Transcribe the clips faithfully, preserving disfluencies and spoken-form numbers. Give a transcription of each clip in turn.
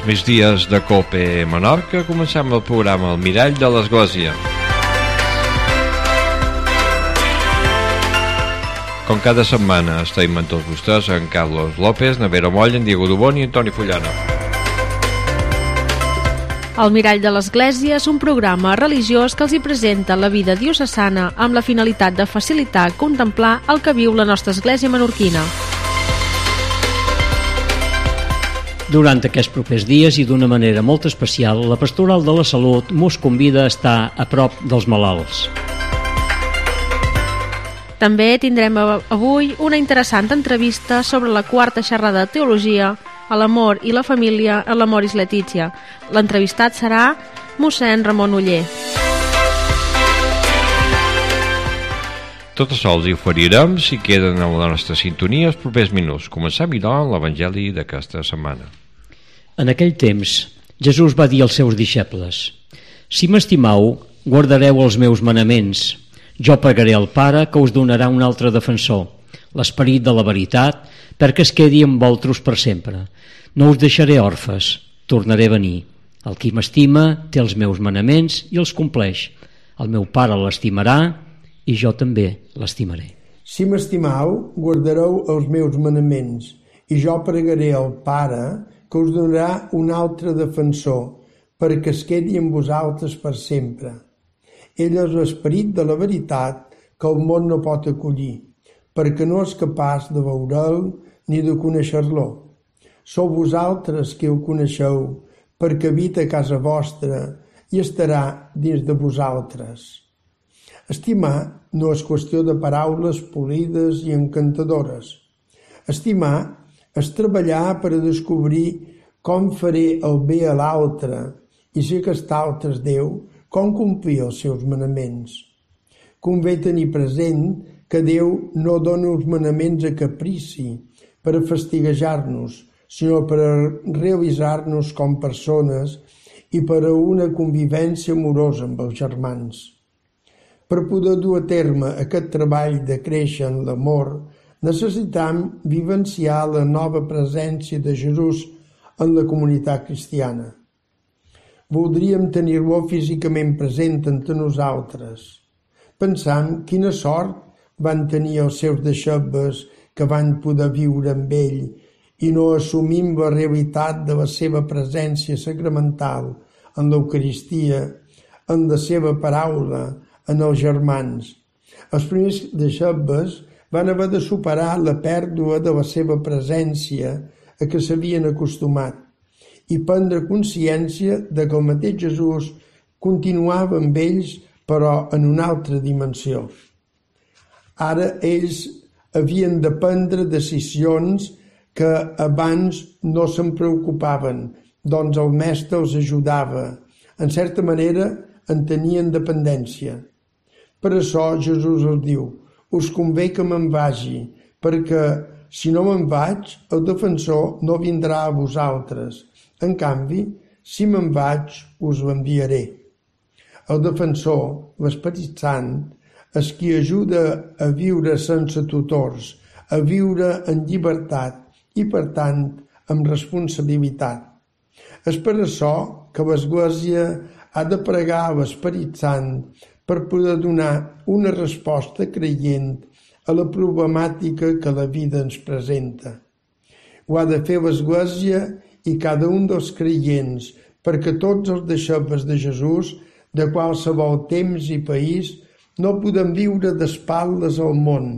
migdies de COPE Menorca comencem el programa El Mirall de l'Església. Com cada setmana estem amb tots vostès en Carlos López, Navero Moll, en Diego Dubón i Antoni Fullana. El Mirall de l'Església és un programa religiós que els hi presenta la vida diocesana amb la finalitat de facilitar i contemplar el que viu la nostra església menorquina. Durant aquests propers dies i d'una manera molt especial, la Pastoral de la Salut mos convida a estar a prop dels malalts. També tindrem avui una interessant entrevista sobre la quarta xerrada de teologia a l'amor i la família a l'Amoris Laetitia. L'entrevistat serà mossèn Ramon Oller. Tot això els hi oferirem si queden en la nostra sintonia els propers minuts. Comencem, doncs, l'Evangeli d'aquesta setmana. En aquell temps, Jesús va dir als seus deixebles: «Si m'estimau, guardareu els meus manaments. Jo pregaré al Pare que us donarà un altre defensor, l'Esperit de la veritat, perquè es quedi amb vosaltres per sempre. No us deixaré orfes, tornaré a venir. El qui m'estima té els meus manaments i els compleix. El meu Pare l'estimarà i jo també l'estimaré». Si m'estimau, guardareu els meus manaments, i jo pregaré al Pare que us donarà un altre defensor, perquè es quedi amb vosaltres per sempre. Ell és l'esperit de la veritat que el món no pot acollir, perquè no és capaç de veure'l ni de conèixer-lo. Sou vosaltres que ho coneixeu, perquè habita a casa vostra i estarà dins de vosaltres. Estimar no és qüestió de paraules polides i encantadores. Estimar és treballar per a descobrir com faré el bé a l'altre i si aquest altre és Déu, com complir els seus manaments. Convé tenir present que Déu no dona uns manaments a caprici per a fastiguejar-nos, sinó per a realitzar-nos com persones i per a una convivència amorosa amb els germans. Per poder dur a terme aquest treball de créixer en l'amor, necessitam vivenciar la nova presència de Jesús en la comunitat cristiana. Voldríem tenir-lo físicament present entre nosaltres. Pensam quina sort van tenir els seus deixebles que van poder viure amb ell i no assumim la realitat de la seva presència sacramental en l'Eucaristia, en la seva paraula, en els germans. Els primers deixebles van haver de superar la pèrdua de la seva presència a què s'havien acostumat i prendre consciència de que el mateix Jesús continuava amb ells, però en una altra dimensió. Ara ells havien de prendre decisions que abans no se'n preocupaven, doncs el mestre els ajudava. En certa manera en tenien dependència. Per això Jesús els diu: us convé que me'n vagi, perquè si no me'n vaig, el defensor no vindrà a vosaltres. En canvi, si me'n vaig, us l'enviaré. El defensor, l'Esperit Sant, és qui ajuda a viure sense tutors, a viure en llibertat i, per tant, amb responsabilitat. És per això que l'Església ha de pregar a l'Esperit Sant per poder donar una resposta creient a la problemàtica que la vida ens presenta. Ho ha de fer l'Església i cada un dels creients, perquè tots els deixebles de Jesús, de qualsevol temps i país, no podem viure d'espatlles al món,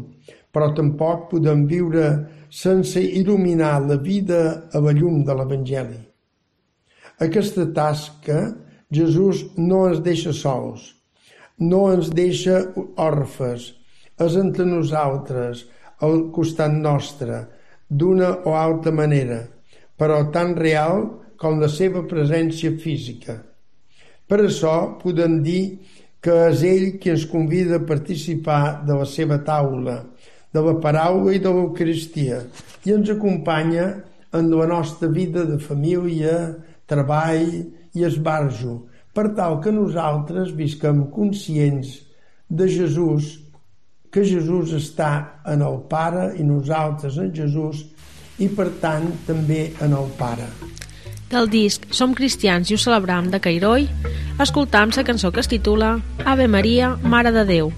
però tampoc podem viure sense il·luminar la vida a la llum de l'Evangeli. Aquesta tasca Jesús no ens deixa sols, no ens deixa orfes, és entre nosaltres, al costat nostre, d'una o altra manera, però tan real com la seva presència física. Per això podem dir que és ell qui ens convida a participar de la seva taula, de la paraula i de l'Eucaristia, i ens acompanya en la nostra vida de família, treball i esbarjo, per tal que nosaltres visquem conscients de Jesús, que Jesús està en el Pare i nosaltres en Jesús, i per tant també en el Pare. Del disc Som cristians i ho celebram de Cairoi, escoltam la cançó que es titula Ave Maria, Mare de Déu.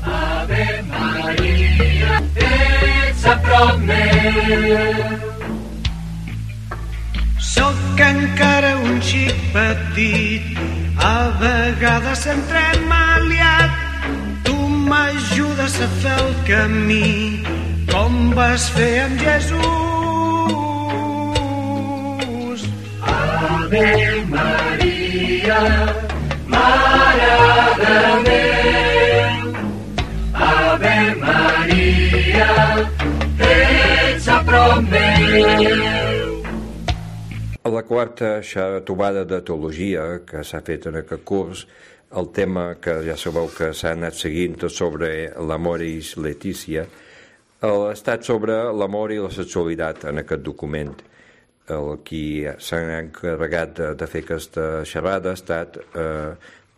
Ave Maria, ets a prop meu. Sóc encara un xic petit, a vegades entremaliat. Tu m'ajudes a fer el camí, com vas fer amb Jesús. Ave Maria, Mare de Déu. Ave Maria, ets a prop meu. A la quarta trobada de teologia que s'ha fet en aquest curs, el tema que ja sabeu que s'ha anat seguint sobre l'Amoris Laetitia, ha estat sobre l'amor i la sexualitat en aquest document. El qui s'ha encarregat de, de fer aquesta xerrada ha estat eh,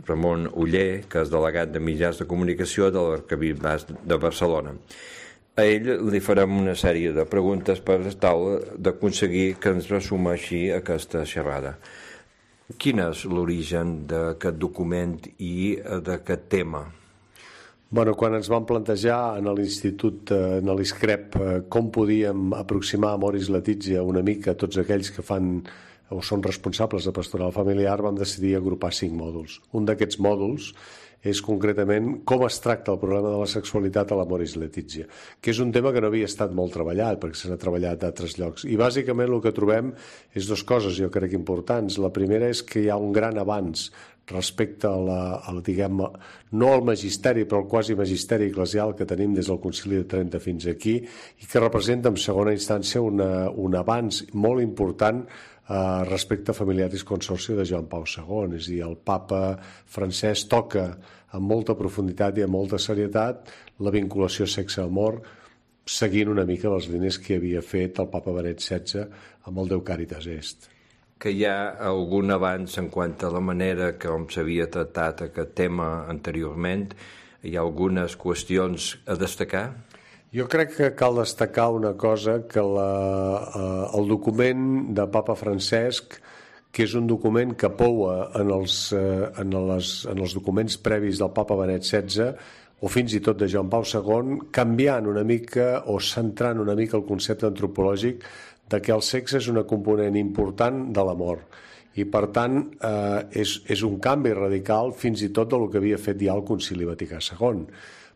Ramon Oller, que és delegat de mitjans de comunicació de l'Arquebisbat de Barcelona. A ell li farem una sèrie de preguntes per tal d'aconseguir que ens resumeixi aquesta xerrada. Quin és l'origen d'aquest document i d'aquest tema? Bueno, quan ens vam plantejar en l'Institut, en l'ISCREP, com podíem aproximar Amoris Laetitia una mica a tots aquells que fan o són responsables de pastoral familiar, vam decidir agrupar cinc mòduls. Un d'aquests mòduls és concretament com es tracta el problema de la sexualitat a l'Amoris Laetitia, que és un tema que no havia estat molt treballat, perquè se n'ha treballat d'altres llocs. I bàsicament el que trobem és dues coses, jo crec, importants. La primera és que hi ha un gran avanç respecte a la, al, diguem, no al magisteri, però al quasi magisteri eclesial que tenim des del Concili de Trenta fins aquí, i que representa en segona instància una, un avanç molt important Uh, respecte a Familiaris Consortio de Joan Pau segon, és a dir, el papa francès toca amb molta profunditat i amb molta serietat la vinculació sexe-amor, seguint una mica les línies que havia fet el papa Benet setze amb el Deu Caritas Est. Que hi ha algun avanç en quant a la manera com s'havia tractat aquest tema anteriorment? Hi ha algunes qüestions a destacar? Jo crec que cal destacar una cosa, que la, eh, el document de Papa Francesc, que és un document que poua en els, eh, en les, en els documents previs del Papa Benet setze o fins i tot de Joan Pau segon, canviant una mica o centrant una mica el concepte antropològic de que el sexe és una component important de l'amor. I, per tant, eh, és, és un canvi radical fins i tot del que havia fet ja el Concili Vaticà segon.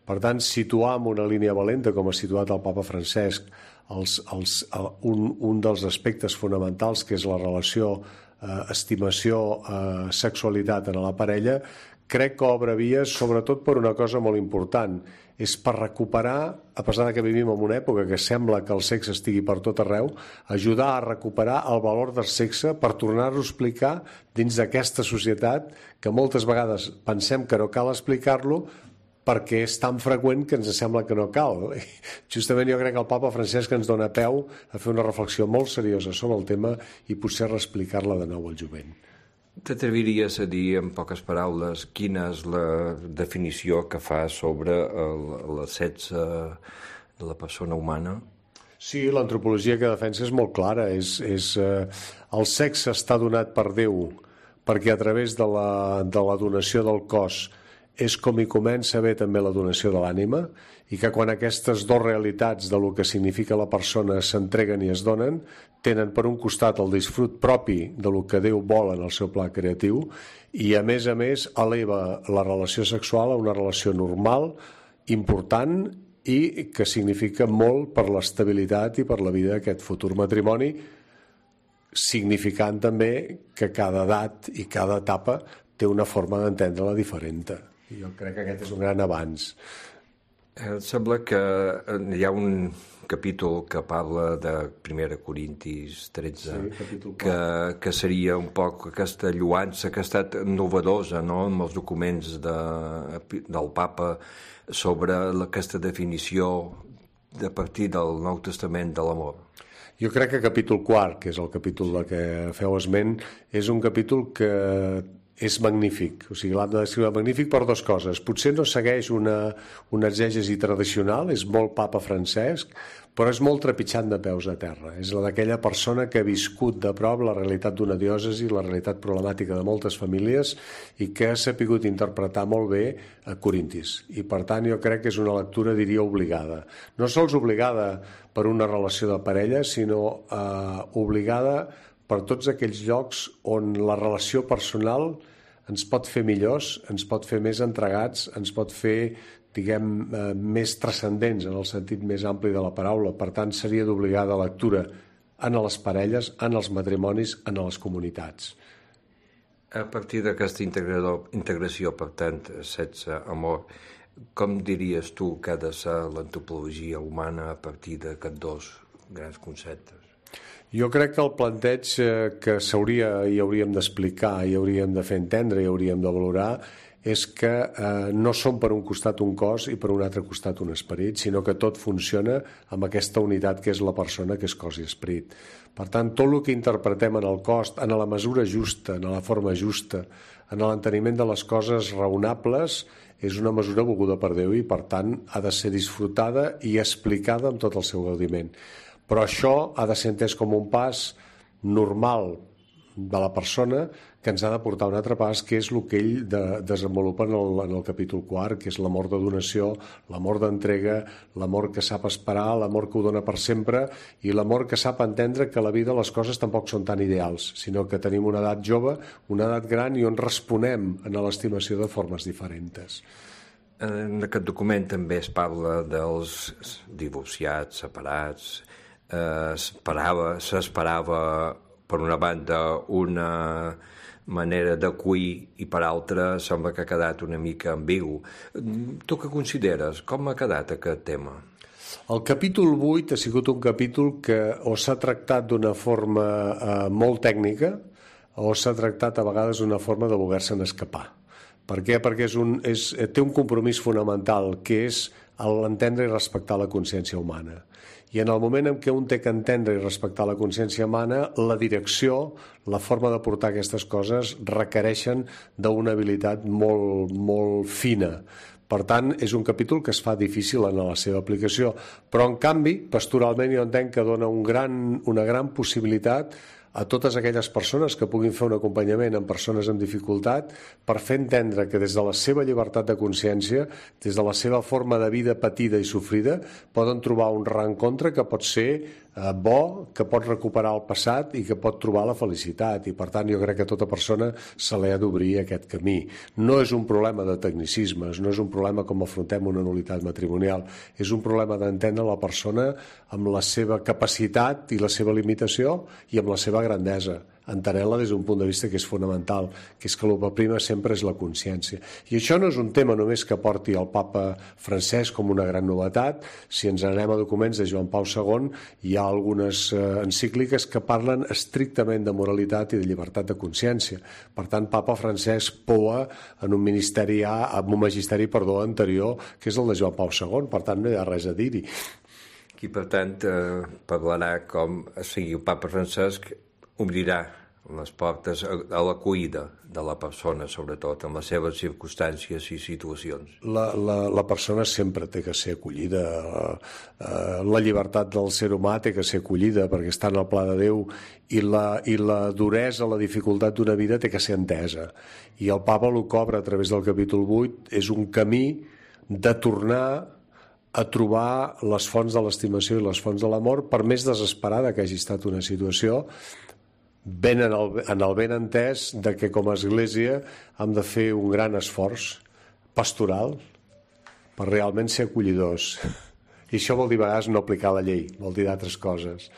Per tant, situar en una línia valenta, com ha situat el papa Francesc, els, els, un, un dels aspectes fonamentals, que és la relació eh, estimació-sexualitat eh, en la parella, crec que obre vies, sobretot per una cosa molt important, és per recuperar, a pesar que vivim en una època que sembla que el sexe estigui per tot arreu, ajudar a recuperar el valor del sexe per tornar-ho a explicar dins d'aquesta societat que moltes vegades pensem que no cal explicar-lo, perquè és tan freqüent que ens sembla que no cal. Justament jo crec que el papa Francesc ens dona peu a fer una reflexió molt seriosa sobre el tema i potser reexplicar-la de nou al jovent. T'atreviries a dir, en poques paraules, quina és la definició que fa sobre el, el sexe de la persona humana? Sí, l'antropologia que defensa és molt clara. És, és, eh, el sexe està donat per Déu perquè a través de la, de la donació del cos és com hi comença a haver també la donació de l'ànima, i que quan aquestes dues realitats de lo que significa la persona s'entreguen i es donen, tenen per un costat el disfrut propi de lo que Déu vol en el seu pla creatiu i a més a més eleva la relació sexual a una relació normal, important i que significa molt per l'estabilitat i per la vida d'aquest futur matrimoni, significant també que cada edat i cada etapa té una forma d'entendre-la diferent. Jo crec que aquest és un gran avanç. Em sembla que hi ha un capítol que parla de primera Corintis tretze, sí, que, que seria un poc aquesta lluança que ha estat novedosa, no?, amb els documents de, del papa sobre aquesta definició de partir del Nou Testament de l'amor. Jo crec que capítol quart, que és el capítol de què feu esment, és un capítol que és magnífic. O sigui, l'hem de descriure magnífic per dues coses. Potser no segueix una, una exègesi tradicional, és molt papa Francesc, però és molt trepitjant de peus a terra. És la d'aquella persona que ha viscut de prop la realitat d'una diòcesi, la realitat problemàtica de moltes famílies i que ha sapigut interpretar molt bé a Corintis. I per tant jo crec que és una lectura, diria, obligada. No sols obligada per una relació de parella, sinó eh, obligada per tots aquells llocs on la relació personal ens pot fer millors, ens pot fer més entregats, ens pot fer, diguem, eh, més transcendents en el sentit més ampli de la paraula. Per tant, seria d'obligada lectura en les parelles, en els matrimonis, en les comunitats. A partir d'aquesta integració, per tant, sexe, amor, com diries tu que ha de ser l'antropologia humana a partir d'aquests dos grans conceptes? Jo crec que el planteig que s'hauria i hauríem d'explicar, i hauríem de fer entendre, i hauríem de valorar, és que eh, no som per un costat un cos i per un altre costat un esperit, sinó que tot funciona amb aquesta unitat que és la persona, que és cos i esperit. Per tant, tot el que interpretem en el cos, en la mesura justa, en la forma justa, en l'enteniment de les coses raonables, és una mesura volguda per Déu i, per tant, ha de ser disfrutada i explicada amb tot el seu gaudiment. Però això ha de ser entès com un pas normal de la persona que ens ha de portar un altre pas, que és el que ell de, desenvolupa en el, en el capítol quart, que és l'amor de donació, l'amor d'entrega, l'amor que sap esperar, l'amor que ho dona per sempre i l'amor que sap entendre que a la vida les coses tampoc són tan ideals, sinó que tenim una edat jove, una edat gran i on responem en l'estimació de formes diferents. En aquest document també es parla dels divorciats, separats. S'esperava, s'esperava per una banda una manera d'acollir i per altra sembla que ha quedat una mica ambigu. Tu què consideres? Com ha quedat aquest tema? El capítol vuit ha sigut un capítol que o s'ha tractat d'una forma eh, molt tècnica o s'ha tractat a vegades d'una forma de voler-se'n escapar. Per què? Perquè és un, és, té un compromís fonamental, que és l'entendre i respectar la consciència humana. I en el moment en què un té que entendre i respectar la consciència humana, la direcció, la forma de portar aquestes coses requereixen d'una habilitat molt, molt fina. Per tant, és un capítol que es fa difícil en la seva aplicació, però en canvi, pastoralment jo entenc que dona un gran, una gran possibilitat a totes aquelles persones que puguin fer un acompanyament amb persones amb dificultat per fer entendre que des de la seva llibertat de consciència, des de la seva forma de vida patida i sofrida, poden trobar un reencontre que pot ser eh, bo, que pot recuperar el passat i que pot trobar la felicitat. I per tant jo crec que a tota persona se li ha d'obrir aquest camí. No és un problema de tecnicismes, no és un problema com afrontem una nul·litat matrimonial, és un problema d'entendre la persona amb la seva capacitat i la seva limitació i amb la seva grandesa, entenent-la des d'un punt de vista que és fonamental, que és que el que prima sempre és la consciència. I això no és un tema només que porti el papa Francesc com una gran novetat. Si ens anem a documents de Joan Pau segon, hi ha algunes eh, encícliques que parlen estrictament de moralitat i de llibertat de consciència. Per tant, papa Francesc poa en un ministeri, en un magisteri perdó, anterior, que és el de Joan Pau segon. Per tant, no hi ha res a dir-hi. I per tant eh, parlarà com sigui el papa Francesc obrirà les portes a la cuida de la persona, sobretot, en les seves circumstàncies i situacions. La, la, la persona sempre té que ser acollida. La llibertat del ser humà té que ser acollida perquè està en el pla de Déu i la, i la duresa, la dificultat d'una vida té que ser entesa. I el papa el que obre a través del capítol vuit és un camí de tornar a trobar les fonts de l'estimació i les fonts de l'amor, per més desesperada que hagi estat una situació, ben en el, en el ben entès de que com a Església hem de fer un gran esforç pastoral per realment ser acollidors. I això vol dir a vegades no aplicar la llei, vol dir d'altres coses.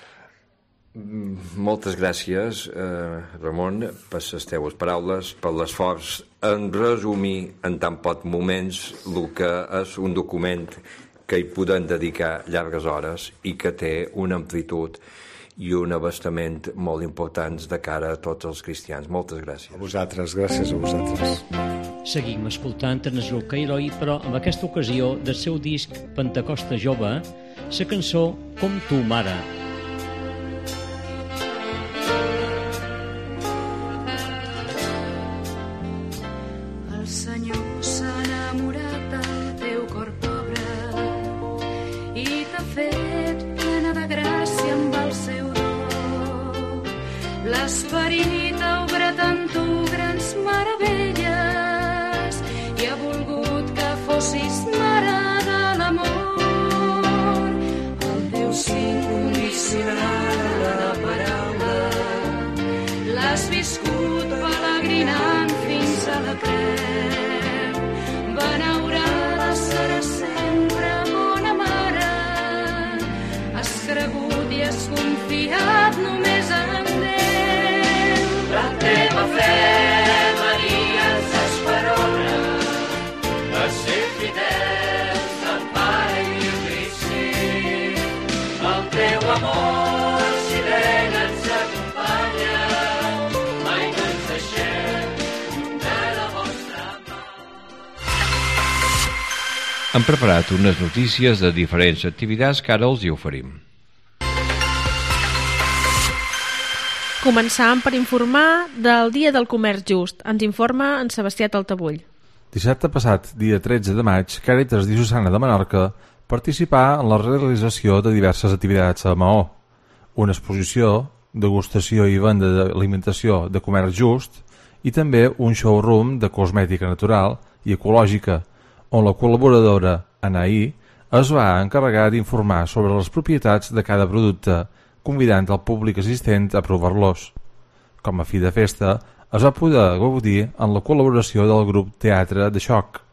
Moltes gràcies, eh, Ramon, per les teves paraules, per l'esforç en resumir en tan pocs moments el que és un document que hi podem dedicar llargues hores i que té una amplitud i un abastament molt importants de cara a tots els cristians. Moltes gràcies. A vosaltres, gràcies a vosaltres. Seguim escoltant en Esroca Heroi, però en aquesta ocasió del seu disc Pentecosta Jove, la cançó Com tu, mare. fet plena de gràcia amb el seu do. L'esperit ha obrat en tu grans meravelles i ha volgut que fossis mare de l'amor. El teu sí incondicional de la paraula l'has viscut pelegrinant fins a la creu. Benaurada seràs sempre, bona mare. Has cregut i has confiat només en Déu. La teva fe, Maria, ens esperona a ser fidels al Pare i al Crist. El teu amor silent ens acompanya, mai no ens deixem de la vostra mà. Hem preparat unes notícies de diferents activitats que ara els hi oferim. Començam per informar del Dia del Comerç Just. Ens informa en Sebastià Taltabull. Dissabte passat, dia tretze de maig, Càritas Diocesana de Menorca participà en la realització de diverses activitats a Maó. Una exposició, degustació i venda d'alimentació de comerç just i també un showroom de cosmètica natural i ecològica, on la col·laboradora Anaí es va encarregar d'informar sobre les propietats de cada producte, convidant el públic assistent a provar-los. Com a fi de festa, es va poder gaudir en la col·laboració del grup Teatre de Xoc.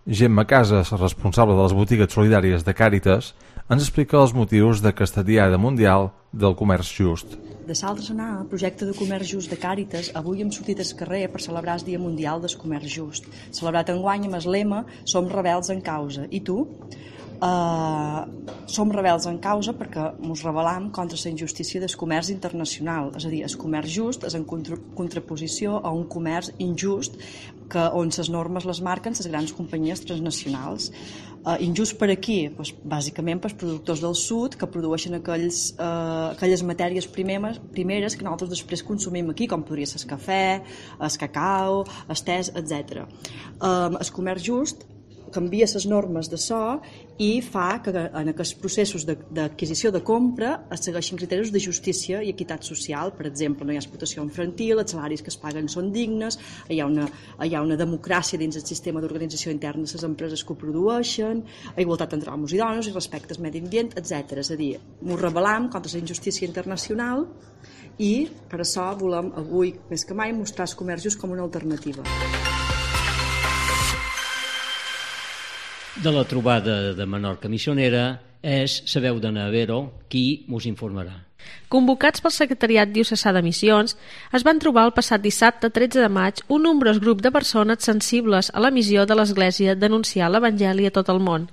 Gemma Casas, responsable de les botigues solidàries de Càritas, ens explica els motius d'aquesta Diada Mundial del Comerç Just. De Salt de Senar, el projecte de comerç just de Càritas, avui hem sortit al carrer per celebrar el Dia Mundial del Comerç Just, celebrat enguany amb el lema Som rebels en causa. I tu? Uh, som rebels en causa perquè ens rebel·lam contra la injustícia del comerç internacional, és a dir, el comerç just és en contra contraposició a un comerç injust que, on les normes les marquen les grans companyies transnacionals. Uh, injust per aquí? Pues, bàsicament pels productors del sud que produeixen aquells, uh, aquelles matèries primeres, primeres que nosaltres després consumim aquí, com podria ser el cafè, el cacau, el te, etcètera. Uh, el comerç just canvia les normes de so i fa que en aquests processos d'adquisició de compra es segueixin criteris de justícia i equitat social. Per exemple, no hi ha explotació infantil, els salaris que es paguen són dignes, hi ha una, hi ha una democràcia dins el sistema d'organització interna de les empreses que ho produeixen, igualtat entre homes i dones i respecte al medi ambient, etcètera. És a dir, ens rebel·lam contra la injustícia internacional i per això volem avui, més que mai, mostrar el comerç just com una alternativa. De la trobada de Menorca Missionera és la veu de Navero qui us informarà. Convocats pel Secretariat Diocesà de Missions, es van trobar el passat dissabte tretze de maig un nombrós grup de persones sensibles a la missió de l'Església d'anunciar l'Evangeli a tot el món.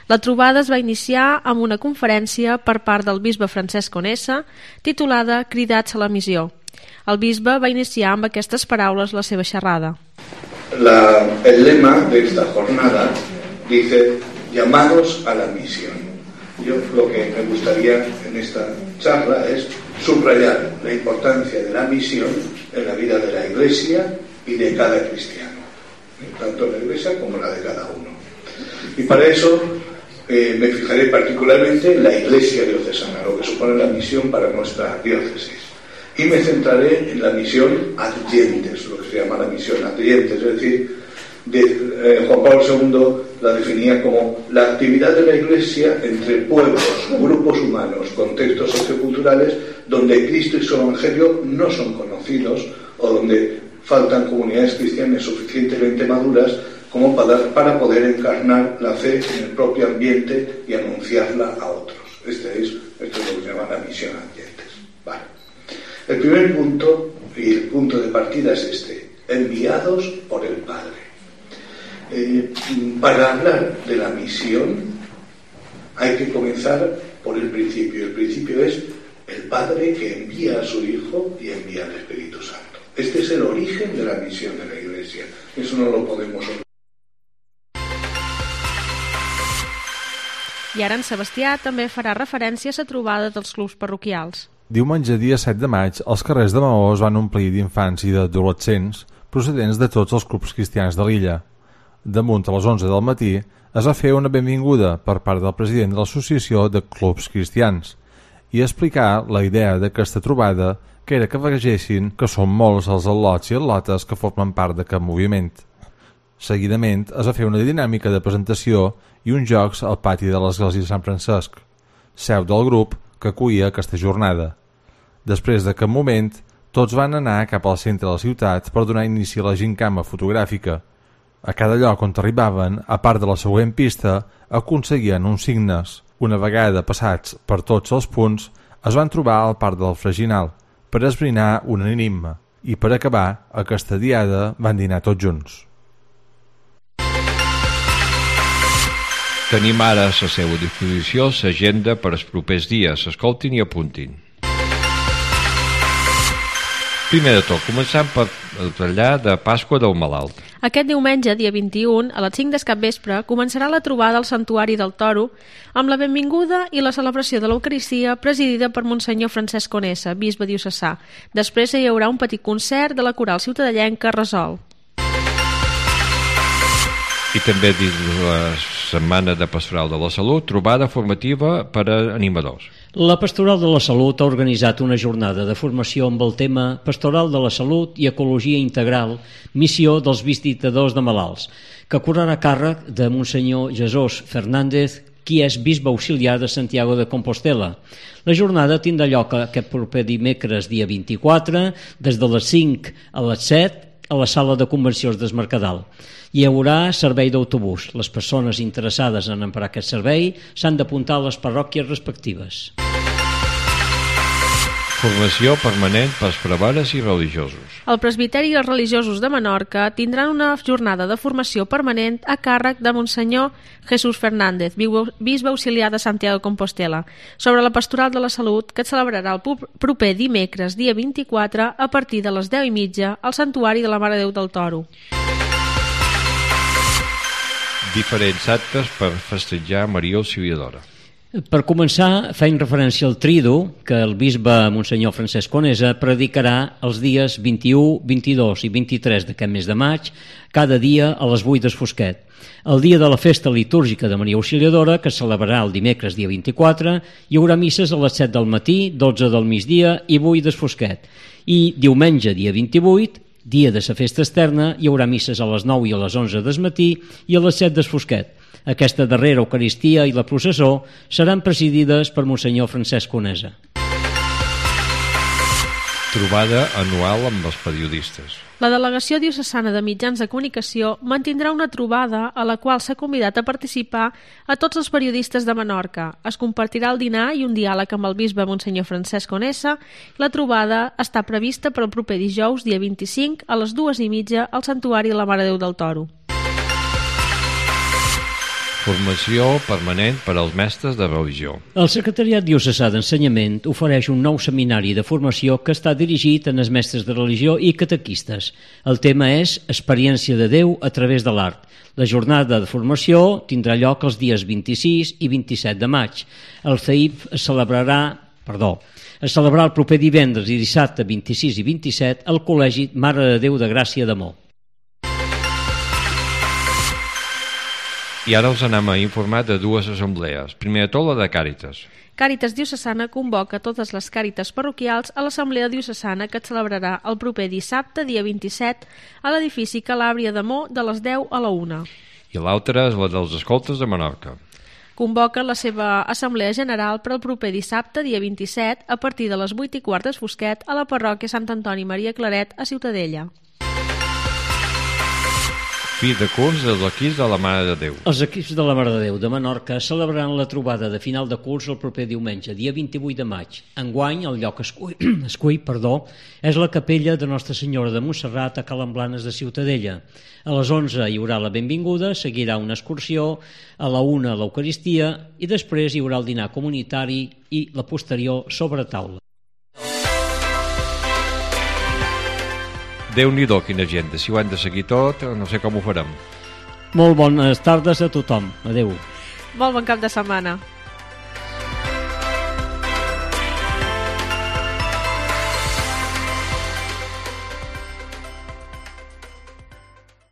La trobada es va iniciar amb una conferència per part del bisbe Francesc Conesa titulada Cridats a la missió. El bisbe va iniciar amb aquestes paraules la seva xerrada. La, el lema de esta jornada dice, llamados a la misión. Yo lo que me gustaría en esta charla es subrayar la importancia de la misión en la vida de la Iglesia y de cada cristiano, tanto la Iglesia como la de cada uno. Y para eso eh, me fijaré particularmente en la Iglesia diocesana, lo que supone la misión para nuestra diócesis. Y me centraré en la misión adyentes, lo que se llama la misión adyentes, es decir, de, eh, Juan Pablo segundo la definía como la actividad de la Iglesia entre pueblos, grupos humanos, contextos socioculturales donde Cristo y su Evangelio no son conocidos o donde faltan comunidades cristianas suficientemente maduras como para, para poder encarnar la fe en el propio ambiente y anunciarla a otros. Este es, esto es lo que se llama la misión adyentes. Vale. El primer punto y el punto de partida es este: enviados por el Padre. Eh, para hablar de la misión hay que comenzar por el principio. El principio es el Padre que envía a su Hijo y envía al Espíritu Santo. Este es el origen de la misión de la Iglesia. Eso no lo podemos olvidar. I ara en Sebastià també farà referència a la trobada dels clubs parroquials. Diumenge dia set de maig, els carrers de Maó es van omplir d'infants i d'adolescents procedents de tots els clubs cristians de l'illa. damunt a les onze del matí, es va fer una benvinguda per part del president de l'Associació de Clubs Cristians i explicar la idea d'aquesta trobada, que era que vegessin que són molts els al·lots i al·lotes que formen part d'aquest moviment. Seguidament es va fer una dinàmica de presentació i uns jocs al pati de l'església de Sant Francesc, seu del grup que acollia aquesta jornada. Després d'aquest moment, tots van anar cap al centre de la ciutat per donar inici a la gincama fotogràfica. A cada lloc on arribaven, a part de la següent pista, aconseguien uns signes. Una vegada passats per tots els punts, es van trobar al parc del Freginal per esbrinar un enigma i per acabar aquesta diada van dinar tots junts. Tenim ara a la seva disposició l'agenda per als propers dies. Escoltin i apuntin. Primer de tot, començant per el trellar de Pasqua del Malalt. Aquest diumenge, dia vint-i-u, a les cinc del capvespre, començarà la trobada al Santuari del Toro amb la benvinguda i la celebració de l'Eucaristia presidida per Monsenyor Francesc Conesa, bisbe diocesà. Després hi haurà un petit concert de la coral ciutadellenca Resol. I també dins la Setmana de Pastoral de la Salut, trobada formativa per a animadors. La Pastoral de la Salut ha organitzat una jornada de formació amb el tema Pastoral de la Salut i Ecologia Integral, missió dels visitadors de malalts, que correrà a càrrec de Monsenyor Jesús Fernández, qui és bisbe auxiliar de Santiago de Compostela. La jornada tindrà lloc aquest proper dimecres, dia vint-i-quatre, des de les cinc a les set, a la sala de convencions del Mercadal. Hi haurà servei d'autobús. Les persones interessades en emprar aquest servei s'han d'apuntar a les parròquies respectives. Formació permanent pels preveres i religiosos. El presbiteri i els religiosos de Menorca tindran una jornada de formació permanent a càrrec de Monsenyor Jesús Fernández, bisbe auxiliar de Santiago de Compostela, sobre la Pastoral de la Salut, que es celebrarà el proper dimecres, dia vint-i-quatre, a partir de les deu i mitja, al Santuari de la Mare de Déu del Toro. Diferents actes per festejar Maria Auxiliadora. Per començar, feim referència al Tridu, que el bisbe Monsenyor Francesc Conesa predicarà els dies vint-i-u, vint-i-dos i vint-i-tres d'aquest mes de maig, cada dia a les vuit del fosquet. El dia de la festa litúrgica de Maria Auxiliadora, que es celebrarà el dimecres dia vint-i-quatre, hi haurà misses a les set del matí, dotze del migdia i vuit del fosquet. I diumenge dia vint-i-vuit, dia de la festa externa, hi haurà misses a les nou i a les onze del matí i a les set del fosquet. Aquesta darrera Eucaristia i la processó seran presidides per Monsenyor Francesc Conesa. Trobada anual amb els periodistes. La Delegació Diocesana de Mitjans de Comunicació mantindrà una trobada a la qual s'ha convidat a participar a tots els periodistes de Menorca. Es compartirà el dinar i un diàleg amb el bisbe Monsenyor Francesc Conesa. La trobada està prevista per al proper dijous, dia vint-i-cinc, a les dues i mitja, al Santuari de la Mare de Déu del Toro. Formació permanent per als mestres de religió. El Secretariat Diocesà d'Ensenyament ofereix un nou seminari de formació que està dirigit a els mestres de religió i catequistes. El tema és Experiència de Déu a través de l'art. La jornada de formació tindrà lloc els dies vint-i-sis i vint-i-set de maig. El C E I P es celebrarà, perdó, es celebrarà el proper divendres i dissabte vint-i-sis i vint-i-set al Col·legi Mare de Déu de Gràcia d'Amor. I ara els anem a informar de dues assemblees. Primer de tot, la de Càritas. Càritas Diocesana convoca totes les Càritas parroquials a l'Assemblea Diocesana que es celebrarà el proper dissabte, dia vint-i-set, a l'edifici Calàbria d'Amor de les deu a la una. I l'altra és la dels escoltes de Menorca. Convoca la seva Assemblea General per al proper dissabte, dia vint-i-set, a partir de les vuit i quart del fosquet, a la parròquia Sant Antoni Maria Claret, a Ciutadella. Fi de curs dels equips de la Mare de Déu. Els equips de la Mare de Déu de Menorca celebraran la trobada de final de curs el proper diumenge, dia vint-i-vuit de maig. Enguany, el lloc escull, escull perdó, és la capella de Nostra Senyora de Montserrat a Calamblanes de Ciutadella. A les onze hi haurà la benvinguda, seguirà una excursió, a la una l'Eucaristia i després hi haurà el dinar comunitari i la posterior sobre taula. Déu-n'hi-do, quina gent. Si ho han de seguir tot, no sé com ho farem. Molt bones tardes a tothom. Adéu. Molt bon cap de setmana.